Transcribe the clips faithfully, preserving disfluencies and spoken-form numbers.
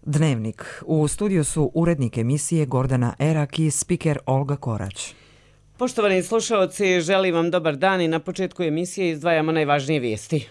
Dnevnik. U studiju su urednik emisije Gordana Erak i spiker Olga Korać. Poštovani slušalci, želim vam dobar dan i na početku emisije izdvajamo najvažnije vijesti.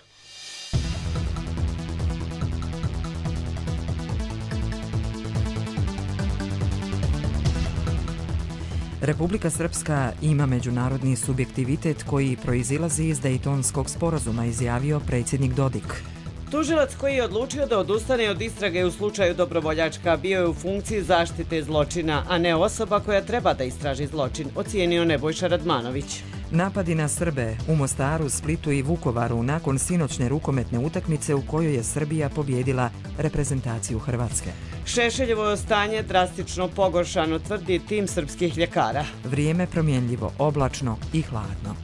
Republika Srpska ima međunarodni subjektivitet koji proizilazi iz Dejtonskog sporazuma, izjavio predsjednik Dodik. Tužilac koji je odlučio da odustane od istrage u slučaju Dobrovoljačka bio je u funkciji zaštite zločina, a ne osoba koja treba da istraži zločin, ocijenio Nebojša Radmanović. Napadi na Srbe u Mostaru, Splitu i Vukovaru nakon sinoćne rukometne utakmice u kojoj je Srbija pobjedila reprezentaciju Hrvatske. Šešeljevo stanje drastično pogoršano, tvrdi tim srpskih ljekara. Vrijeme promjenljivo, oblačno i hladno.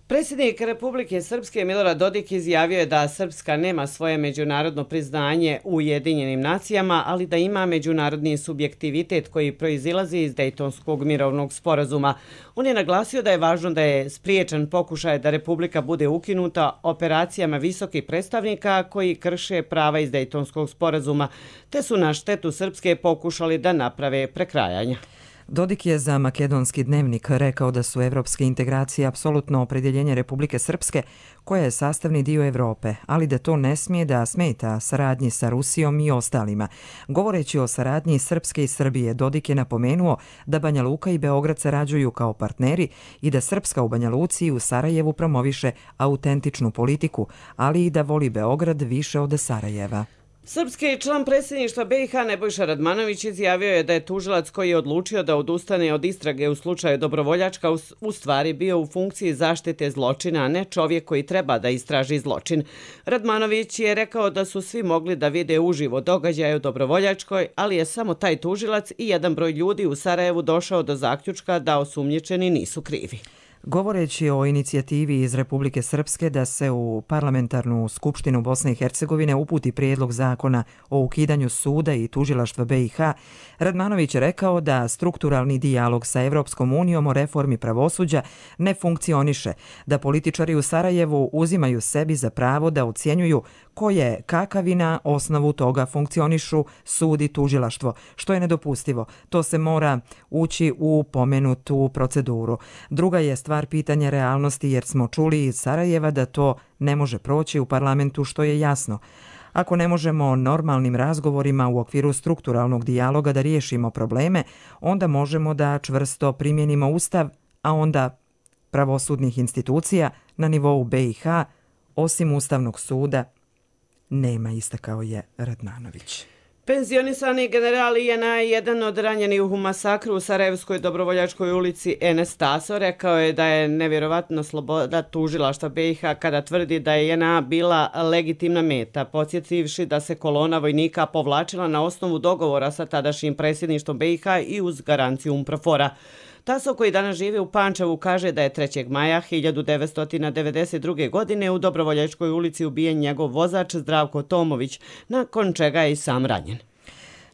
Predsjednik Republike Srpske Milorad Dodik izjavio je da Srpska nema svoje međunarodno priznanje u Ujedinjenim nacijama, ali da ima međunarodni subjektivitet koji proizilazi iz Dejtonskog mirovnog sporazuma. On je naglasio da je važno da je spriječen pokušaj da Republika bude ukinuta operacijama visokih predstavnika koji krše prava iz Dejtonskog sporazuma, te su na štetu Srpske pokušali da naprave prekrajanja. Dodik je za Makedonski dnevnik rekao da su evropske integracije apsolutno opredjeljenje Republike Srpske, koja je sastavni dio Evrope, ali da to ne smije da smeta saradnji sa Rusijom i ostalima. Govoreći o saradnji Srpske i Srbije, Dodik je napomenuo da Banja Luka i Beograd sarađuju kao partneri i da Srpska u Banja Luci i u Sarajevu promoviše autentičnu politiku, ali i da voli Beograd više od Sarajeva. Srpski član predsjedništva B i H Nebojša Radmanović izjavio je da je tužilac koji je odlučio da odustane od istrage u slučaju Dobrovoljačka u stvari bio u funkciji zaštite zločina, a ne čovjek koji treba da istraži zločin. Radmanović je rekao da su svi mogli da vide uživo događaje u Dobrovoljačkoj, ali je samo taj tužilac i jedan broj ljudi u Sarajevu došao do zaključka da osumnjičeni nisu krivi. Govoreći o inicijativi iz Republike Srpske da se u parlamentarnu skupštinu Bosne i Hercegovine uputi prijedlog zakona o ukidanju suda i tužilaštva B i H, Radmanović je rekao da strukturalni dijalog sa Evropskom unijom o reformi pravosuđa ne funkcioniše, da političari u Sarajevu uzimaju sebi za pravo da ocjenjuju ko je kakav i na osnovu toga funkcionišu sud i tužilaštvo, što je nedopustivo. To se mora ući u pomenutu proceduru. Druga je stvar pitanja realnosti, jer smo čuli iz Sarajeva da to ne može proći u parlamentu, što je jasno. Ako ne možemo normalnim razgovorima u okviru strukturalnog dijaloga da riješimo probleme, onda možemo da čvrsto primjenimo Ustav, a onda pravosudnih institucija na nivou B i H, osim Ustavnog suda, nema, istakao je Radmanović. Penzionisani general I N A je jedan od ranjenih u masakru u Sarajevskoj Dobrovoljačkoj ulici Enes Taso rekao je da je nevjerovatno sloboda tužilaštva B i H kada tvrdi da je I N A bila legitimna meta, podsjetivši da se kolona vojnika povlačila na osnovu dogovora sa tadašnjim predsjedništvom B i H i uz garanciju UNPROFOR-a. Taso, koji danas živi u Pančevu, kaže da je trećeg maja hiljadu devetsto devedeset druge. godine u Dobrovoljačkoj ulici ubijen njegov vozač Zdravko Tomović, nakon čega je i sam ranjen.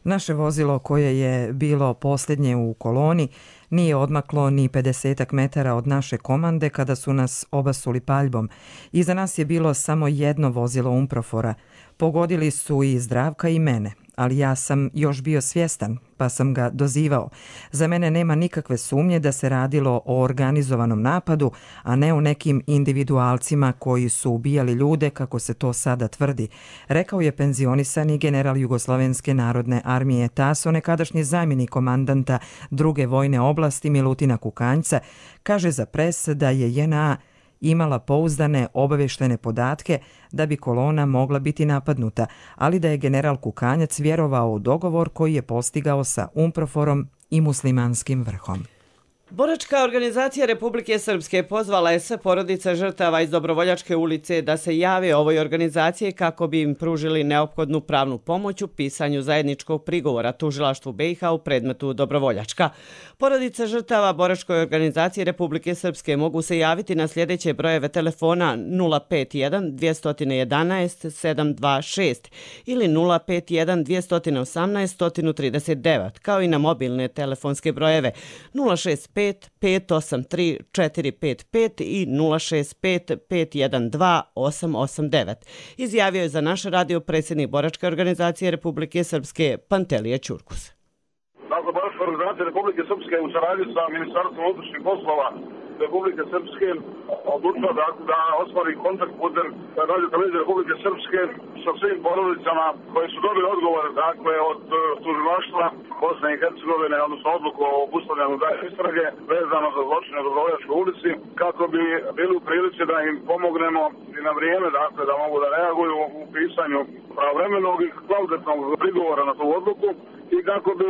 Naše vozilo, koje je bilo posljednje u koloni, nije odmaklo ni pedesetak metara od naše komande kada su nas obasuli paljbom. Iza nas je bilo samo jedno vozilo UNPROFOR-a. Pogodili su i Zdravka i mene, ali ja sam još bio svjestan, pa sam ga dozivao. Za mene nema nikakve sumnje da se radilo o organizovanom napadu, a ne o nekim individualcima koji su ubijali ljude, kako se to sada tvrdi, rekao je penzionisani general Jugoslovenske narodne armije Taso, nekadašnji zamjenik komandanta druge vojne oblasti Milutina Kukanjca, kaže za pres da je J N A imala pouzdane obaveštene podatke da bi kolona mogla biti napadnuta, ali da je general Kukanjac vjerovao u dogovor koji je postigao sa UNPROFOR-om i muslimanskim vrhom. Boračka organizacija Republike Srpske pozvala je sve porodice žrtava iz Dobrovoljačke ulice da se jave ovoj organizaciji kako bi im pružili neophodnu pravnu pomoć u pisanju zajedničkog prigovora tužilaštvu B i H u predmetu Dobrovoljačka. Porodice žrtava Boračkoj organizaciji Republike Srpske mogu se javiti na sljedeće brojeve telefona nula pet jedan dvjesto jedanaest sedam dva šest ili nula pet jedan dvjesto osamnaest sto trideset devet, kao i na mobilne telefonske brojeve nula šest pet pet pet osam tri četiri pet pet i nula šest pet pet jedan dva osam osam devet. Izjavio je za naš radio predsjednik Boračke organizacije Republike Srpske Pantelije Ćurkus. Dakle, Boračka organizacija Republike Srpske u saradnji sa Ministarstvom unutrašnjih poslova Republike Srpske odlučila da, da ostvari kontakt putem Radio televizije Republike Srpske sa svim porodicama koje su dobili odgovor dakle, od uh, tužilaštva Bosne i Hercegovine, odnosno odluku o obustavljanju daljnje istrage vezano za zločine u Dobrovoljačkoj ulici, kako bi bili u prilici da im pomognemo i na vrijeme dakle, da mogu da reaguju u pisanju pravovremenog i kvalitetnog prigovora na tu odluku i kako bi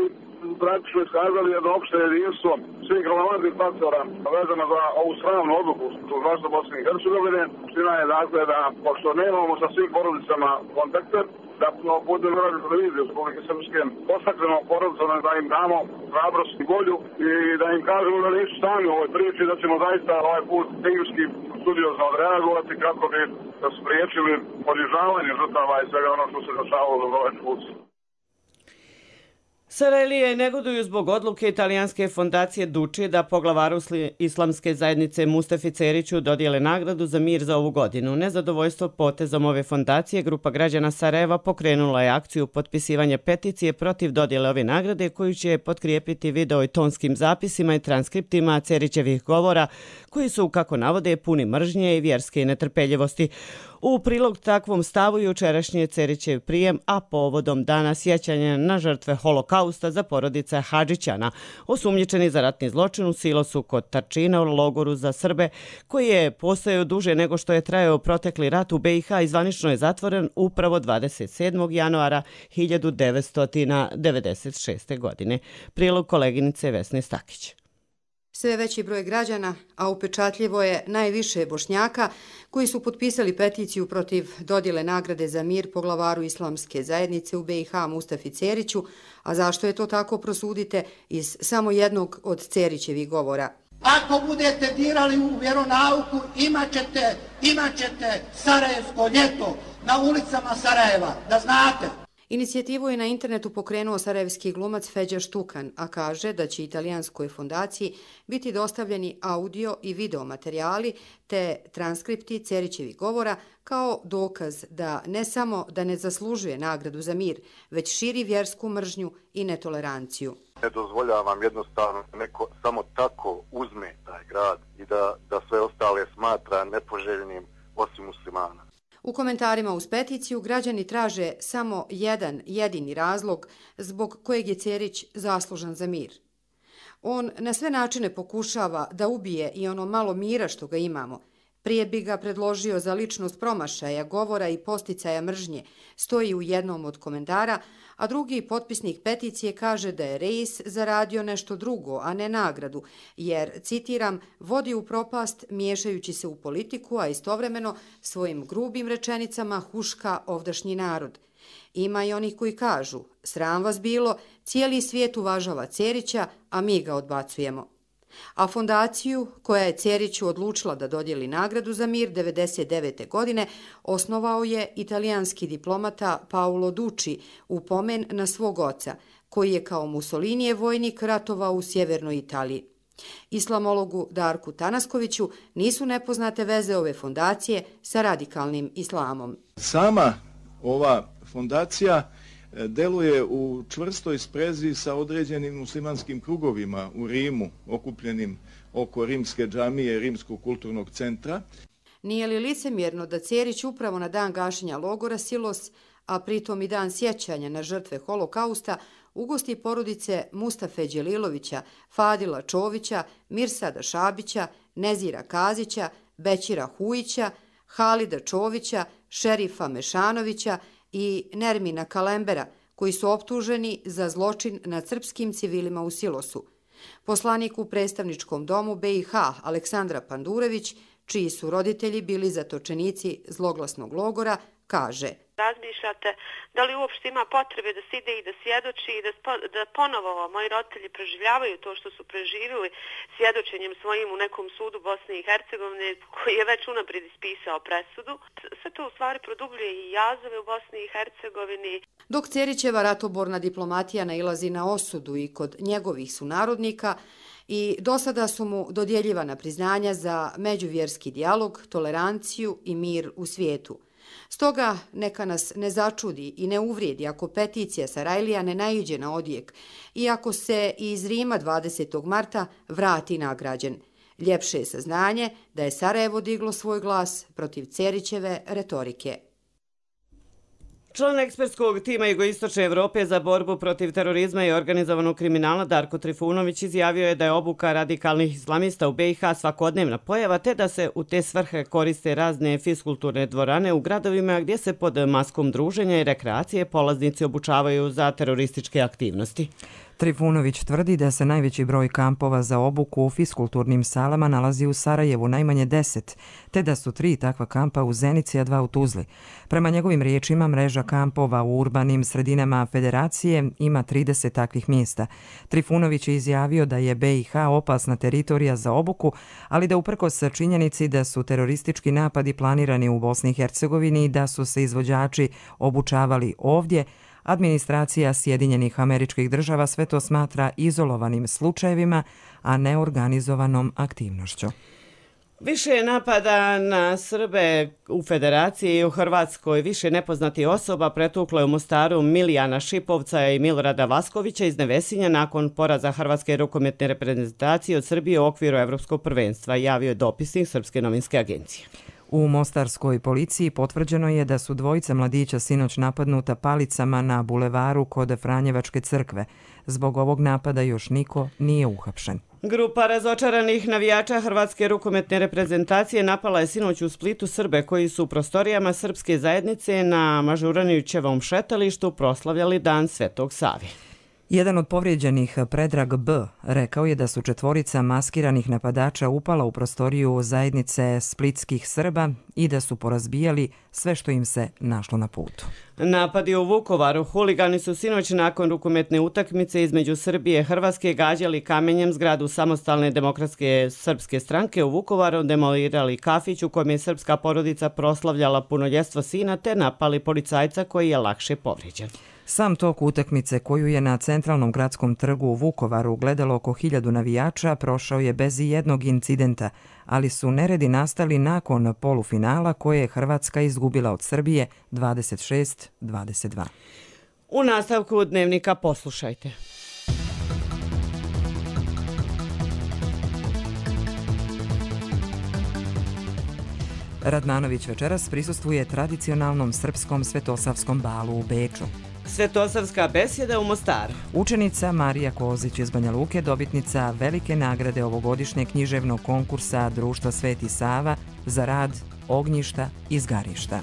praktično iskazali jedno opšte jedinstvo svih relevantnih faktora vezano za ovu sramnu odluku tužilaštva Bosne i Hercegovine. Ština je dakle da, pošto nemamo sa svim porodicama kontakte, da putem Radio televizije Republike Srpske postaknemo porodicama da im damo hrabrost i volju i da im kažemo da nisu sami u ovoj priči, da ćemo zaista ovaj put timski studiozno odreagovati kako bi spriječili ponižavanje žrtava i svega ono što se dešavalo u Dobrovoljačkoj ulici. Sarajlije negoduju zbog odluke italijanske fondacije Duči da poglavaru islamske zajednice Mustafi Ceriću dodijele nagradu za mir za ovu godinu. Nezadovoljstvo potezom ove fondacije, grupa građana Sarajeva pokrenula je akciju potpisivanja peticije protiv dodjele ove nagrade koju će potkrijepiti video i tonskim zapisima i transkriptima Cerićevih govora koji su, kako navode, puni mržnje i vjerske netrpeljivosti. U prilog takvom stavu jučerašnji je Cerićev prijem, a povodom dana sjećanja na žrtve holokausta za porodice Hadžićana, osumnjičeni za ratni zločin u silosu kod Tarčina u logoru za Srbe, koji je postojao duže nego što je trajao protekli rat u B i H i zvanično je zatvoren upravo dvadeset sedmog januara hiljadu devetsto devedeset šeste. godine. Prilog koleginice Vesne Stakić. Sve veći broj građana, a upečatljivo je najviše Bošnjaka, koji su potpisali peticiju protiv dodjele nagrade za mir poglavaru islamske zajednice u B i H Mustafi Ceriću, a zašto je to tako prosudite iz samo jednog od Cerićevih govora. Ako budete dirali u vjeronauku, imat ćete, imat ćete Sarajevsko ljeto na ulicama Sarajeva, da znate. Inicijativu je na internetu pokrenuo sarajevski glumac Feđa Štukan, a kaže da će italijanskoj fondaciji biti dostavljeni audio i video materijali te transkripti Cerićevih govora kao dokaz da ne samo da ne zaslužuje nagradu za mir, već širi vjersku mržnju i netoleranciju. Ne dozvoljavam jednostavno neko samo tako uzme taj grad i da, da sve ostale smatra nepoželjnim osim muslimana. U komentarima uz peticiju građani traže samo jedan jedini razlog zbog kojeg je Cerić zaslužan za mir. On na sve načine pokušava da ubije i ono malo mira što ga imamo. Prije bi ga predložio za ličnost promašaja, govora i posticaja mržnje, stoji u jednom od komentara, a drugi potpisnik peticije kaže da je Reis zaradio nešto drugo, a ne nagradu, jer, citiram, vodi u propast miješajući se u politiku, a istovremeno svojim grubim rečenicama huška ovdašnji narod. Ima i onih koji kažu, sram vas bilo, cijeli svijet uvažava Cerića, a mi ga odbacujemo. A fondaciju, koja je Ceriću odlučila da dodijeli nagradu za mir devedeset devete. godine, osnovao je italijanski diplomata Paolo Duči u pomen na svog oca, koji je kao Mussolinijev vojnik ratovao u sjevernoj Italiji. Islamologu Darku Tanaskoviću nisu nepoznate veze ove fondacije sa radikalnim islamom. Sama ova fondacija deluje u čvrstoj sprezi sa određenim muslimanskim krugovima u Rimu, okupljenim oko rimske džamije, Rimskog kulturnog centra. Nije li licemjerno da Cerić upravo na dan gašenja logora Silos, a pritom i dan sjećanja na žrtve holokausta, ugosti porodice Mustafe Đelilovića, Fadila Čovića, Mirsada Šabića, Nezira Kazića, Bećira Hujića, Halida Čovića, Šerifa Mešanovića i Nermina Kalembera, koji su optuženi za zločin nad srpskim civilima u Silosu. Poslanik u predstavničkom domu B i H Aleksandra Pandurević, čiji su roditelji bili zatočenici zloglasnog logora, kaže: Razmišljate da li uopšte ima potrebe da se ide i da svjedoči i da, da ponovo moji roditelji preživljavaju to što su preživjeli svjedočenjem svojim u nekom sudu Bosne i Hercegovine koji je već unaprijed ispisao presudu. Sve to u stvari produbljuje i jazove u Bosni i Hercegovini. Dok Cerićeva ratoborna diplomatija nailazi na osudu i kod njegovih sunarodnika, i do sada su mu dodjeljivana priznanja za međuvjerski dijalog, toleranciju i mir u svijetu. Stoga neka nas ne začudi i ne uvrijedi ako peticija Sarajlija ne naiđe na odjek i ako se iz Rima dvadesetog marta vrati nagrađen. Ljepše je saznanje da je Sarajevo diglo svoj glas protiv Cerićeve retorike. Član ekspertskog tima Jugoistočne Evrope za borbu protiv terorizma i organizovanog kriminala Darko Trifunović izjavio je da je obuka radikalnih islamista u be i ha svakodnevna pojava, te da se u te svrhe koriste razne fiskulturne dvorane u gradovima gdje se pod maskom druženja i rekreacije polaznici obučavaju za terorističke aktivnosti. Trifunović tvrdi da se najveći broj kampova za obuku u fiskulturnim salama nalazi u Sarajevu, najmanje deset, te da su tri takva kampa u Zenici, a dva u Tuzli. Prema njegovim riječima, mreža kampova u urbanim sredinama Federacije ima trideset takvih mjesta. Trifunović je izjavio da je be i ha opasna teritorija za obuku, ali da uprkos činjenici da su teroristički napadi planirani u Bosni i Hercegovini i da su se izvođači obučavali ovdje, administracija Sjedinjenih Američkih Država sve to smatra izolovanim slučajevima, a ne organizovanom aktivnošću. Više je napada na Srbe u Federaciji i u Hrvatskoj. Više nepoznati osoba pretuklo je u Mostaru Milijana Šipovca i Milorada Vaskovića iz Nevesinja nakon poraza Hrvatske rukometne reprezentacije od Srbije u okviru Evropskog prvenstva, javio je dopisnik Srpske novinske agencije. U mostarskoj policiji potvrđeno je da su dvojica mladića sinoć napadnuta palicama na bulevaru kod Franjevačke crkve. Zbog ovog napada još niko nije uhapšen. Grupa razočaranih navijača Hrvatske rukometne reprezentacije napala je sinoć u Splitu Srbe koji su u prostorijama srpske zajednice na Mažuranićevom šetalištu proslavljali Dan Svetog Save. Jedan od povrijeđenih, Predrag B., rekao je da su četvorica maskiranih napadača upala u prostoriju zajednice splitskih Srba i da su porazbijali sve što im se našlo na putu. Napadi u Vukovaru. Huligani su sinoć nakon rukometne utakmice između Srbije i Hrvatske gađali kamenjem zgradu Samostalne demokratske srpske stranke u Vukovaru, demolirali kafić u kojem je srpska porodica proslavljala punoljetstvo sina te napali policajca koji je lakše povrijeđen. Sam tok utakmice koju je na centralnom gradskom trgu u Vukovaru gledalo oko hiljadu navijača prošao je bez jednog incidenta, ali su neredi nastali nakon polufinala koje je Hrvatska izgubila od Srbije dvadeset šest dvadeset dva. U nastavku Dnevnika poslušajte. Radmanović večeras prisustvuje tradicionalnom srpskom svetosavskom balu u Beču. Svetosavska besjeda u Mostaru. Učenica Marija Kozić iz Banja Luke, dobitnica velike nagrade ovogodišnjeg književnog konkursa Društva Sveti Sava za rad Ognjišta iz Garišta.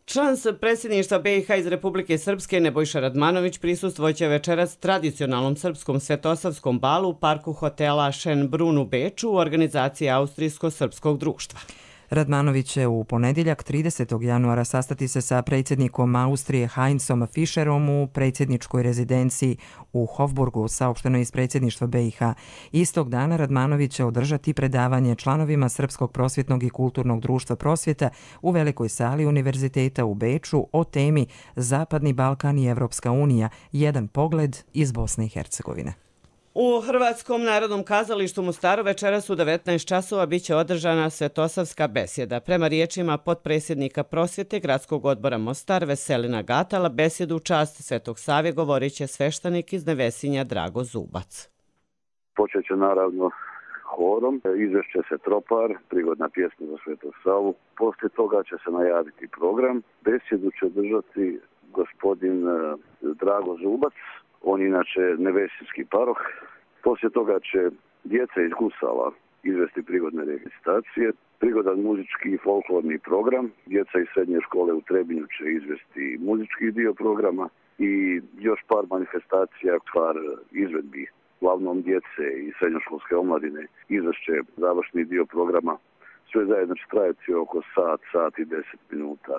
Član predsjedništva be i ha iz Republike Srpske Nebojša Radmanović prisustvoće večeras tradicionalnom srpskom svetosavskom balu u parku hotela Schönbrunn u Beču u organizaciji Austrijsko-srpskog društva. Radmanović će u ponedjeljak tridesetog januara sastati se sa predsjednikom Austrije Heinzom Fischerom u predsjedničkoj rezidenciji u Hofburgu, saopšteno iz predsjedništva be i ha. Istog dana Radmanović će održati predavanje članovima Srpskog prosvjetnog i kulturnog društva prosvjeta u velikoj sali Univerziteta u Beču o temi Zapadni Balkan i Evropska unija, jedan pogled iz Bosne i Hercegovine. U Hrvatskom narodnom kazalištu Mostaru večeras u devetnaest časova biće održana svetosavska besjeda. Prema riječima potpredsjednika prosvjete Gradskog odbora Mostar Veselina Gatala, besjedu u čast Svetog Save govorit će sveštenik iz Nevesinja Drago Zubac. Počet će naravno horom, izvešće se tropar, prigodna pjesma za Svetog Savu. Poslije toga će se najaviti program. Besjedu će držati gospodin Drago Zubac. On inače nevesinski paroh. Poslije toga će djeca iz Gusala izvesti prigodne recitacije, prigodan muzički i folklorni program. Djeca iz srednje škole u Trebinju će izvesti muzički dio programa i još par manifestacija, par izvedbi, uglavnom djece i srednjoškolske omladine izvešće završni dio programa. Sve zajedno će trajati oko sat, sat i deset minuta.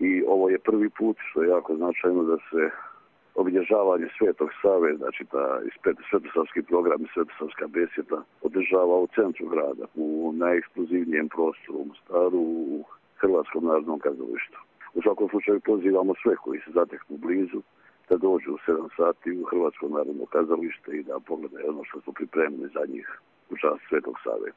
I ovo je prvi put, što je jako značajno, da se obilježavanje Svetog Save, znači ta svetosavski program i svetosavska besjeda održava u centru grada, u najekskluzivnijem prostoru u Mostaru, u Hrvatskom narodnom kazalištu. U svakom slučaju pozivamo sve koji se zateknu blizu da dođu u sedam sati u Hrvatsko narodno kazalište i da pogledaju ono što su pripremili za njih u čast Svetog Save.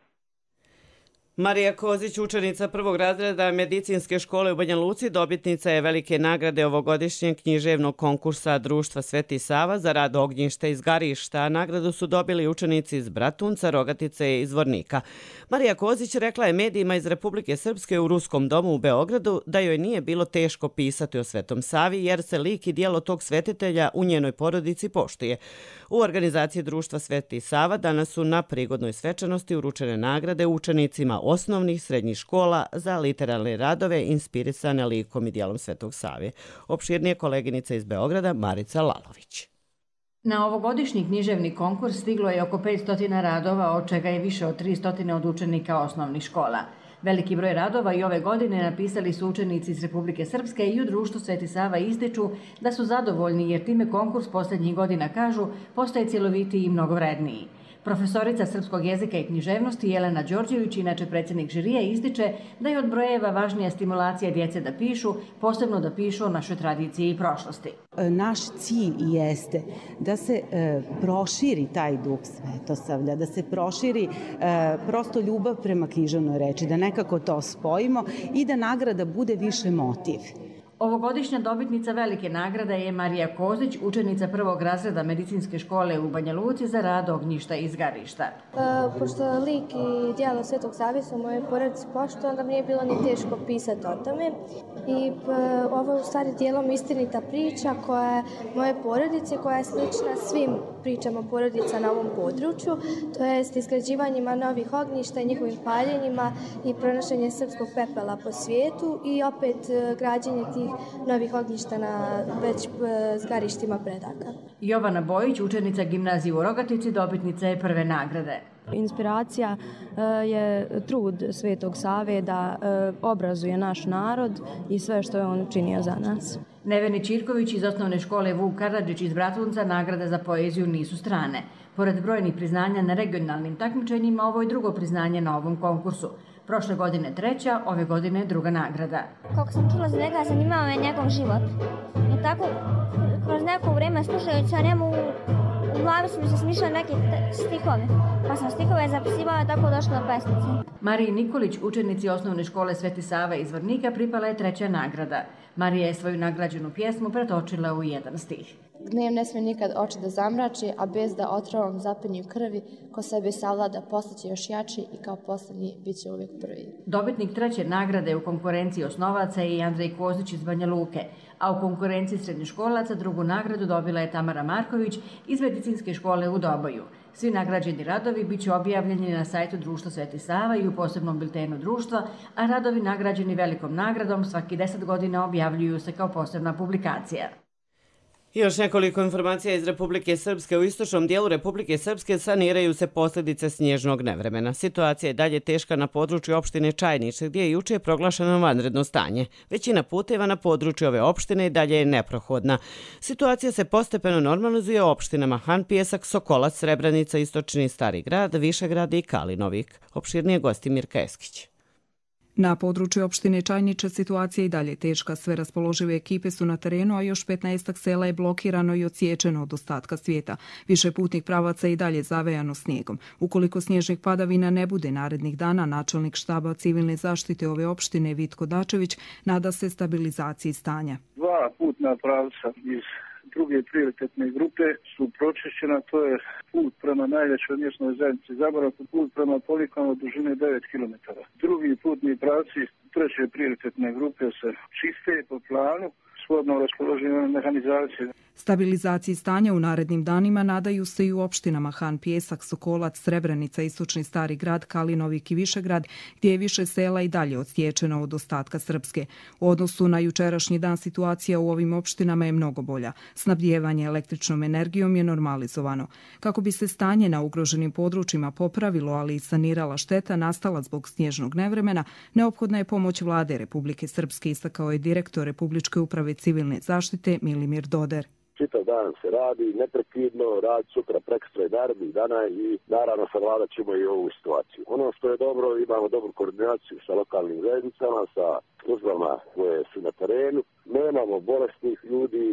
Marija Kozić, učenica prvog razreda medicinske škole u Banja Luci, dobitnica je velike nagrade ovogodišnjeg književnog konkursa Društva Sveti Sava za rad ognjišta iz Garišta. Nagradu su dobili učenici iz Bratunca, Rogatice i Zvornika. Marija Kozić rekla je medijima iz Republike Srpske u Ruskom domu u Beogradu da joj nije bilo teško pisati o Svetom Savi jer se lik i dijelo tog svetitelja u njenoj porodici poštuje. U organizaciji Društva Sveti Sava danas su na prigodnoj svečanosti uručene nagrade učenicima osnovnih srednjih škola za literarne radove inspirisane likom i dijelom Svetog Save. Opširnije koleginica iz Beograda Marica Lalović. Na ovogodišnji književni konkurs stiglo je oko petsto radova, od čega je više od tristo od učenika osnovnih škola. Veliki broj radova i ove godine napisali su učenici iz Republike Srpske i u Društvu Sveti Sava ističu da su zadovoljni jer time konkurs posljednjih godina, kažu, postaje cjelovitiji i mnogo vredniji. Profesorica srpskog jezika i književnosti Jelena Đorđević, inače predsjednik žirija, ističe da je od brojeva važnija stimulacija djece da pišu, posebno da pišu o našoj tradiciji i prošlosti. Naš cilj jeste da se e, proširi taj duh svetosavlja, da se proširi e, prosto ljubav prema književnoj reči, da nekako to spojimo i da nagrada bude više motiv. Ovogodišnja dobitnica velike nagrade je Marija Kozić, učenica prvog razreda medicinske škole u Banja Luci za rad ognjišta iz Garišta. E, pošto lik i djelo Svetog Save su u mojoj porodici pošto, onda mi nije bilo ni teško pisati o tome. I p, ovo je u stvari dijelom istinita priča koja je moje porodice, koja je slična svim pričama porodica na ovom području, to jest izgrađivanjima novih ognjišta i njihovim paljenjima i pronošenje srpskog pepela po svijetu i opet građenje tih novih ognjišta na već zgarištima predaka. Jovana Bojić, učenica gimnazije u Rogatici, dobitnica je prve nagrade. Inspiracija je trud Svetog Save da obrazuje naš narod i sve što je on učinio za nas. Neveni Čirković iz osnovne škole Vuk Karadžić iz Bratunca nagrade za poeziju nisu strane. Pored brojnih priznanja na regionalnim takmičenjima, ovo je drugo priznanje na ovom konkursu. Prošle godine treća, ove godine druga nagrada. Kako sam čula za njega, zanimao me njegov život. I tako, kroz neko vrijeme slušajući o njemu, u glavi su mi se smišljali neke stihove. Pa sam stihove zapisivala, tako došla do pesnice. Mariji Nikolić, učenici osnovne škole Sveti Sava iz Zvornika, pripala je treća nagrada. Marija je svoju nagrađenu pjesmu pretočila u jedan stih. Gnev ne smije nikad oči da zamrači, a bez da otrovom zapenju krvi, ko sebe savlada postaće još jači i kao posljednji bit će uvijek prvi. Dobitnik treće nagrade u konkurenciji osnovaca je i Andrej Kozić iz Banja Luke, a u konkurenciji srednjoškolaca drugu nagradu dobila je Tamara Marković iz medicinske škole u Doboju. Svi nagrađeni radovi bit će objavljeni na sajtu Društva Sveti Sava i u posebnom biltenu društva, a radovi nagrađeni velikom nagradom svaki deset godina objavljuju se kao posebna publikacija. Još nekoliko informacija iz Republike Srpske. U istočnom dijelu Republike Srpske saniraju se posljedice snježnog nevremena. Situacija je dalje teška na području opštine Čajniče, gdje je juče proglašeno vanredno stanje. Većina puteva na području ove opštine i dalje je neprohodna. Situacija se postepeno normalizuje u opštinama Han Pijesak, Sokolac, Srebrenica, Istočni Stari grad, Višegrad i Kalinovik. Opširnije gosti Mirka Eskić. Na području opštine Čajniče situacija je i dalje teška. Sve raspoložive ekipe su na terenu, a još petnaest sela je blokirano i odsječeno od ostatka svijeta. Više putnih pravaca je i dalje zavejano snijegom. Ukoliko snježnih padavina ne bude narednih dana, načelnik štaba civilne zaštite ove opštine Vitko Dačević nada se stabilizaciji stanja. Dva putna pravca iz druge prioritetne grupe su pročišćena, to je put prema najvećoj mjesnoj zajednici Zaboravku, put prema Polikanu dužine devet kilometara. Drugi putni pravci treće prioritetne grupe se čiste po planu, shodno raspoloženoj mehanizaciji. Stabilizaciji stanja u narednim danima nadaju se i u opštinama Han Pijesak, Sokolac, Srebrenica, Istočni Stari grad, Kalinovik i Višegrad, gdje je više sela i dalje odsječeno od ostatka Srpske. U odnosu na jučerašnji dan situacija u ovim opštinama je mnogo bolja. Snabdijevanje električnom energijom je normalizovano. Kako bi se stanje na ugroženim područjima popravilo, ali i sanirala šteta nastala zbog snježnog nevremena, neophodna je pomoć vlade Republike Srpske, istakao je direktor Republičke uprave civilne zaštite Milimir Doder. Čitav dan se radi, neprekidno, radi sutra, prekstra i narednih dana i naravno savladat ćemo i ovu situaciju. Ono što je dobro, imamo dobru koordinaciju sa lokalnim zajednicama, sa službama koje su na terenu. Nemamo bolesnih ljudi,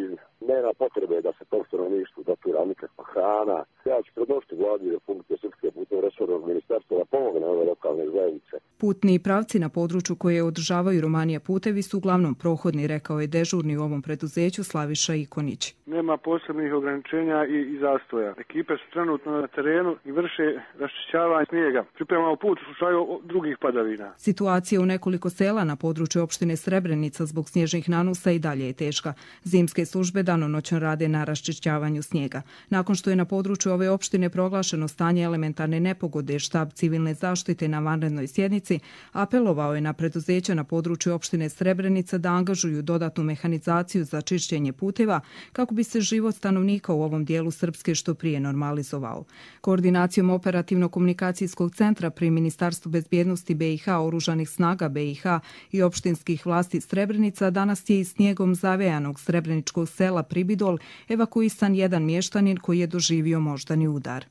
nema potrebe da se tom stanovništvu dotira nikakva hrana. Ja ću predložiti vladi Republike Srpske putem resornog ministarstva da pomogne ove lokalne zajednice. Putni pravci na području koje održavaju Romanija putevi su uglavnom prohodni, rekao je dežurni u ovom preduzeću Slaviša Ikonić. Nema posebnih ograničenja i, i zastoja. Ekipe su trenutno na terenu i vrše raščišćavanje snijega. Pripremamo put u slučaju drugih padavina. Situacija u nekoliko sela na području opštine Srebrenica zbog snježnih nanusa i dalje je teška. Zimske službe danonoćno rade na raščišćavanju snijega. Nakon što je na području ove opštine proglašeno stanje elementarne nepogode, štab civilne zaštite na vanrednoj sjednici apelovao je na preduzeća na području opštine Srebrenica da angažuju dodatnu mehanizaciju za čišćenje puteva kako bi se život stanovnika u ovom dijelu Srpske što prije normalizovao. Koordinacijom operativno-komunikacijskog centra pri Ministarstvu bezbjednosti B i H, Oružanih snaga B i H i opštinskih vlasti Srebrenica danas je iz snijegom zavejanog srebreničkog sela Pribidol evakuisan jedan mještanin koji je doživio moždani udar.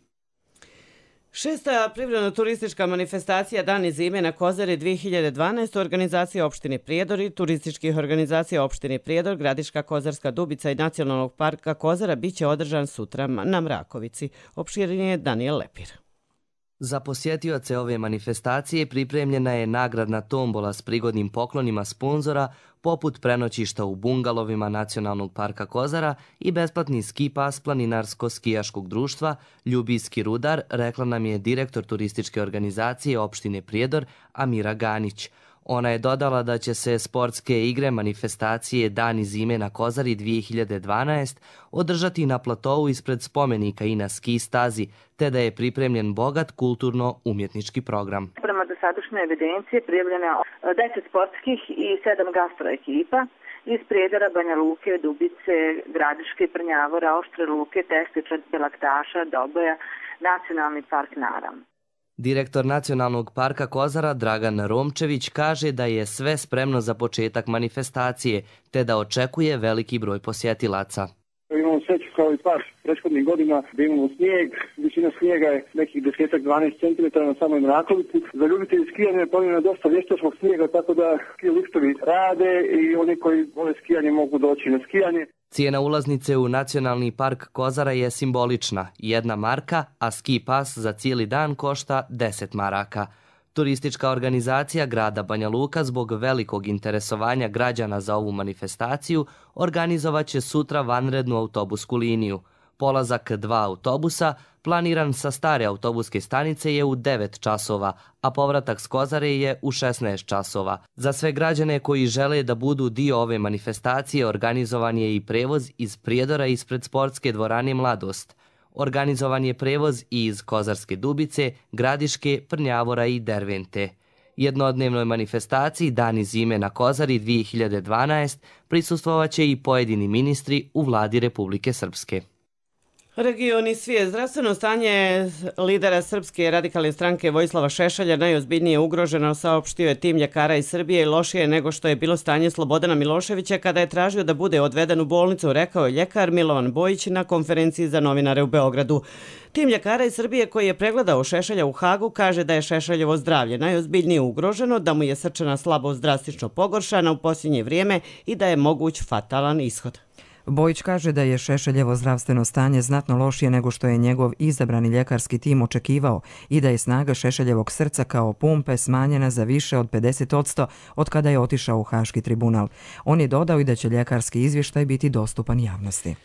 Šesta privredno-turistička manifestacija Dani zime na Kozari dvije hiljade dvanaeste organizacija opštine Prijedor i turističkih organizacija opštine Prijedor, Gradiška Kozarska Dubica i Nacionalnog parka Kozara biće održan sutra na Mrakovici. Opširnije Daniel Lepir. Za posjetioce ove manifestacije pripremljena je nagradna tombola s prigodnim poklonima sponzora, poput prenoćišta u bungalovima Nacionalnog parka Kozara i besplatni ski pas Planinarsko-skijaškog društva Ljubijski rudar, rekla nam je direktor turističke organizacije opštine Prijedor Amira Ganić. Ona je dodala da će se sportske igre manifestacije Dani zime na Kozari dvije hiljade dvanaeste održati na platovu ispred spomenika i na ski stazi, te da je pripremljen bogat kulturno-umjetnički program. Prema dosadašnjoj evidenciji prijavljeno je deset sportskih i sedam gastro ekipa iz Prijedora, Banja Luke, Dubice, Gradiške, Prnjavora, Oštre Luke, Teštića, Belaktaša, Doboja, Nacionalni park Naram. Direktor Nacionalnog parka Kozara Dragan Romčević kaže da je sve spremno za početak manifestacije, te da očekuje veliki broj posjetilaca. Imamo sreću kao i par prethodnih godina da imamo snijeg. Visina snijega je nekih desetak do dvanaest centimetara na samoj Mrakovici. Za ljubitelji skijanja je planirano dosta vještačkog snijega, tako da ski liftovi rade i oni koji vole skijanje mogu doći na skijanje. Cijena ulaznice u Nacionalni park Kozara je simbolična, jedna marka, a ski pas za cijeli dan košta deset maraka. Turistička organizacija grada Banja Luka zbog velikog interesovanja građana za ovu manifestaciju organizovat će sutra vanrednu autobusku liniju. Polazak dva autobusa, planiran sa stare autobuske stanice, je u devet časova, a povratak s Kozare je u šesnaest časova. Za sve građane koji žele da budu dio ove manifestacije organizovan je i prevoz iz Prijedora ispred sportske dvorane Mladost. Organizovan je prevoz i iz Kozarske Dubice, Gradiške, Prnjavora i Dervente. Jednodnevnoj manifestaciji Dani zime na Kozari dvije hiljade dvanaeste prisustvovat će i pojedini ministri u vladi Republike Srpske. Region i svijet. Zdravstveno stanje lidera Srpske radikalne stranke Vojislava Šešelja najozbiljnije ugroženo, saopštio je tim ljekara iz Srbije, i lošije nego što je bilo stanje Slobodana Miloševića kada je tražio da bude odveden u bolnicu, rekao je ljekar Milovan Bojić na konferenciji za novinare u Beogradu. Tim ljekara iz Srbije koji je pregledao Šešelja u Hagu kaže da je Šešeljevo zdravlje najozbiljnije ugroženo, da mu je srčana slabost drastično pogoršana u posljednje vrijeme i da je moguć fatalan ishod. Bojić kaže da je Šešeljevo zdravstveno stanje znatno lošije nego što je njegov izabrani ljekarski tim očekivao i da je snaga Šešeljevog srca kao pumpe smanjena za više od pedeset posto od kada je otišao u Haški tribunal. On je dodao i da će ljekarski izvještaj biti dostupan javnosti.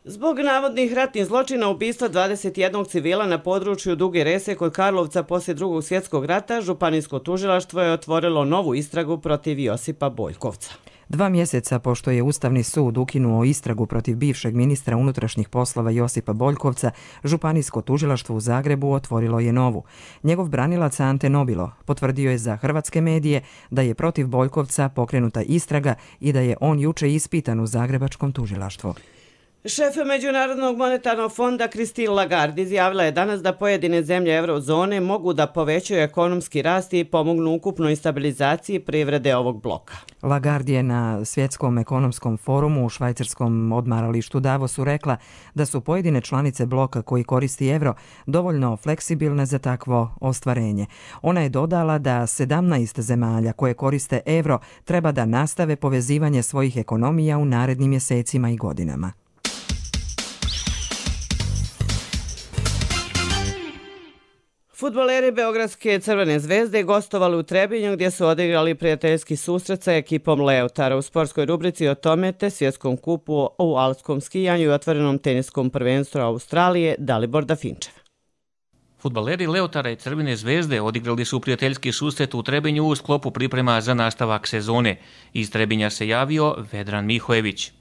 Zbog navodnih ratnih zločina ubistva dvadeset jednog civila na području Duge Rese kod Karlovca poslije drugog svjetskog rata, Županijsko tužilaštvo je otvorilo novu istragu protiv Josipa Boljkovca. Dva mjeseca pošto je Ustavni sud ukinuo istragu protiv bivšeg ministra unutrašnjih poslova Josipa Boljkovca, Županijsko tužilaštvo u Zagrebu otvorilo je novu. Njegov branilac Ante Nobilo potvrdio je za hrvatske medije da je protiv Boljkovca pokrenuta istraga i da je on juče ispitan u Zagrebačkom tužilaštvu. Šef Međunarodnog monetarnog fonda Christine Lagarde izjavila je danas da pojedine zemlje eurozone mogu da povećaju ekonomski rast i pomognu ukupnoj stabilizaciji privrede ovog bloka. Lagarde je na Svjetskom ekonomskom forumu u švajcarskom odmaralištu Davosu rekla da su pojedine članice bloka koji koristi evro dovoljno fleksibilne za takvo ostvarenje. Ona je dodala da sedamnaest zemalja koje koriste evro treba da nastave povezivanje svojih ekonomija u narednim mjesecima i godinama. Fudbaleri Beogradske Crvene zvezde gostovali u Trebinju gdje su odigrali prijateljski susret sa ekipom Leotara u sportskoj rubrici o tome te svjetskom kupu u alpskom skijanju i otvorenom teniskom prvenstvu Australije Dalibor Dafinčev. Fudbaleri Leotara i Crvene zvezde odigrali su prijateljski susret u Trebinju u sklopu priprema za nastavak sezone. Iz Trebinja se javio Vedran Mihojević.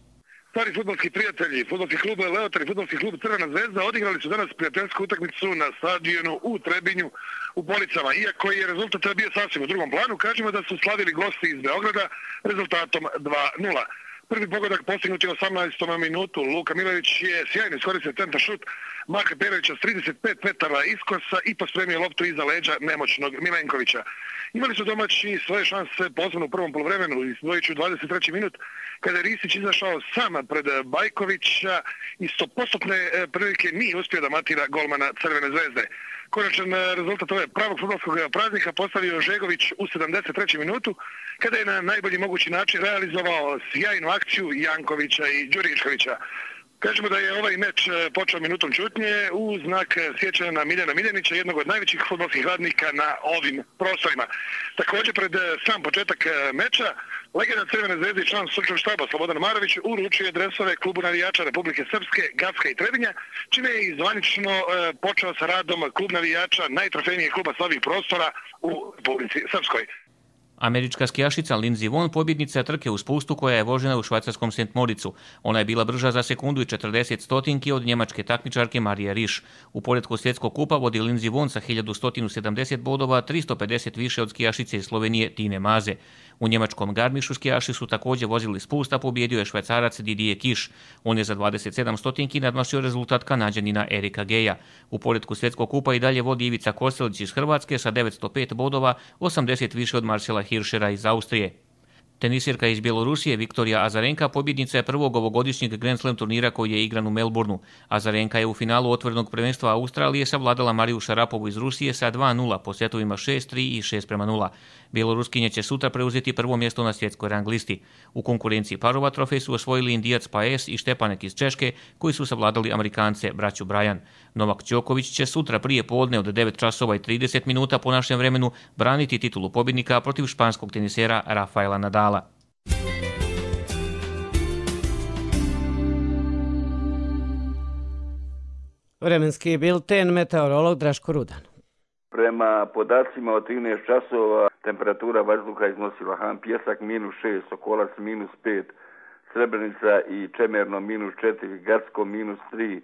Stari fudbalski prijatelji, fudbalski klub Leotar i fudbalski klub Crvena zvezda odigrali su danas prijateljsku utakmicu na stadionu u Trebinju u Policama. Iako je rezultat bio sasvim u drugom planu, kažemo da su slavili gosti iz Beograda rezultatom dva nula. Prvi pogodak postignut je u osamnaestom minutu. Luka Milović je sjajno iskoristio centar šut Marka Perovića s trideset pet metara iskosa i pospremio loptu iza leđa nemoćnog Milenkovića. Imali su domaći svoje šanse posebno u prvom poluvremenu, izdvojit ću dvadeset treći minut, kada je Risić izašao sam pred Bajkovića i stopostotne prilike nije uspio da matira golmana Crvene zvezde. Konačan rezultat ove pravog fudbalskog praznika postavio Žegović u sedamdeset trećem minutu, kada je na najbolji mogući način realizovao sjajnu akciju Jankovića i Đuriškovića. Kažemo da je ovaj meč počeo minutom čutnje u znak sjećanja na Miljana Miljanića, jednog od najvećih fudbalskih radnika na ovim prostorima. Također pred sam početak meča, legenda Crvene zvezde i član stručnog štaba Slobodan Marović uručio dresove klubu navijača Republike Srpske, Gacka i Trebinja, čime je zvanično počeo sa radom klub navijača najtrofejnijeg kluba sa ovih prostora u Republici Srpskoj. Američka skijašica Lindsey Vonn pobjednica trke u spustu koja je vožena u švajcarskom Sent Moricu. Ona je bila brža za sekundu i četrdeset stotinki od njemačke takmičarke Marije Riš. U poretku svjetskog kupa vodi Lindsey Vonn sa hiljadu sto sedamdeset bodova, tristo pedeset više od skijašice iz Slovenije Tine Maze. U njemačkom Garmišu skijaši su također vozili spust, a pobjedio je švajcarac Didier Kiš. On je za dvadeset sedam stotinki nadmašio rezultat Kanađanina Erika Geja. U poretku svjetskog kupa i dalje vodi Ivica Kostelić iz Hrvatske sa devetsto pet bodova, osamdeset više od Marcela Hiršera iz Austrije. Tenisirka iz Bjelorusije Viktorija Azarenka pobjednica je prvog ovogodišnjeg Grand Slam turnira koji je igran u Melbourneu. Azarenka je u finalu otvorenog prvenstva Australije savladala Mariju Šarapovu iz Rusije sa dva nula po setovima šest tri i šest prema nula. Bjeloruskinje će sutra preuzeti prvo mjesto na svjetskoj rang listi. U konkurenciji parova trofej su osvojili Indijac Paes i Štepanek iz Češke, koji su savladali Amerikance braću Brajan. Novak Đoković će sutra prije podne od devet časova i trideset minuta po našem vremenu braniti titulu pobjednika protiv španskog tenisera Rafaela Nadala. Vremenski bilten, meteorolog Draško Rudan. Prema podacima od trinaest časova temperatura vazduha iznosila Han Pjesak minus šest, Sokolac minus pet, Srebrenica i Čemerno minus četiri, Gacko minus tri,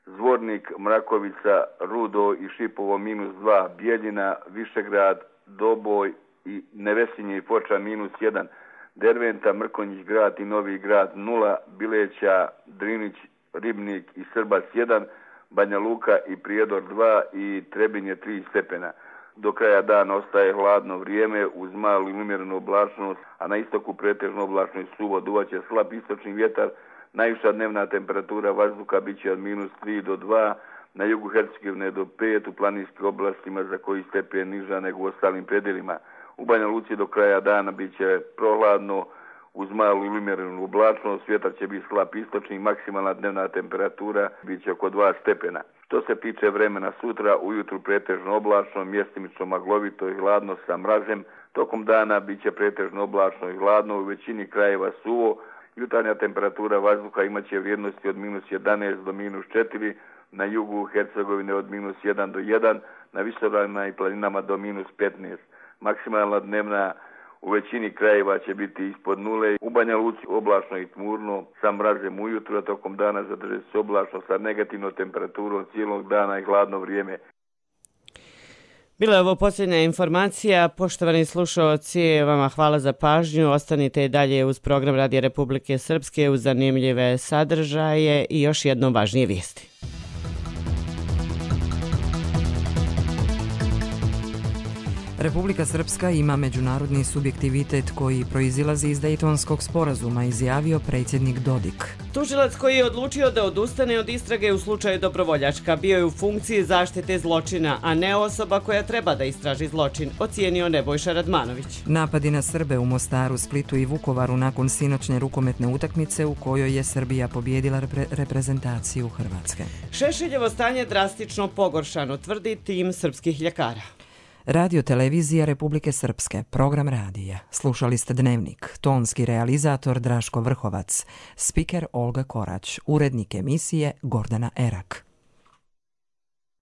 Zvornik, Mrakovica, Rudo i Šipovo minus dva, Bijeljina, Višegrad, Doboj i Nevesinje i Foča minus jedan, Derventa, Mrkonjić grad i Novi grad nula, Bileća, Drinić, Ribnik i Srbac jedan, Banja Luka i Prijedor dva i Trebinje tri stepena. Do kraja dana ostaje hladno vrijeme uz malu i umjerenu oblačnost, a na istoku pretežno oblačno i suvo. Duvaće slab istočni vjetar, najviša dnevna temperatura vazduha bit će od minus tri do dva, na jugu Hercegovine do pet, u planinskim oblastima za koji stepen niža nego u ostalim predjelima. U Banja Luci do kraja dana bit će prohladno, uz malu ili umjerenu oblačnost, vjetar će biti slab istočni, maksimalna dnevna temperatura bit će oko dva stepena. Što se tiče vremena sutra, ujutru pretežno oblačno, mjestimično maglovito i hladno sa mrazem, tokom dana bit će pretežno oblačno i hladno, u većini krajeva suvo, jutarnja temperatura vazduha imat će vrijednosti od minus jedanaest do minus četiri, na jugu Hercegovine od minus jedan do jedan, na visoravnima i planinama do minus petnaest. Maksimalna dnevna u većini krajeva će biti ispod nule. U Banja Luci oblačno i tmurno sa mrazem ujutro, a tokom dana zadrži se oblačno sa negativnom temperaturom cijelog dana i hladno vrijeme. Bila je ovo posljednja informacija. Poštovani slušalci, vama hvala za pažnju. Ostanite i dalje uz program Radija Republike Srpske uz zanimljive sadržaje i još jedno važnije vijesti. Republika Srpska ima međunarodni subjektivitet koji proizilazi iz Dejtonskog sporazuma, izjavio predsjednik Dodik. Tužilac koji je odlučio da odustane od istrage u slučaju Dobrovoljačka bio je u funkciji zaštite zločina, a ne osoba koja treba da istraži zločin, ocijenio Nebojša Radmanović. Napadi na Srbe u Mostaru, Splitu i Vukovaru nakon sinoćne rukometne utakmice u kojoj je Srbija pobjedila repre- reprezentaciju Hrvatske. Šešeljevo stanje drastično pogoršano, tvrdi tim srpskih ljekara. Radio televizija Republike Srpske, program radija. Slušali ste Dnevnik, tonski realizator Draško Vrhovac, spiker Olga Korać, urednik emisije Gordana Erak.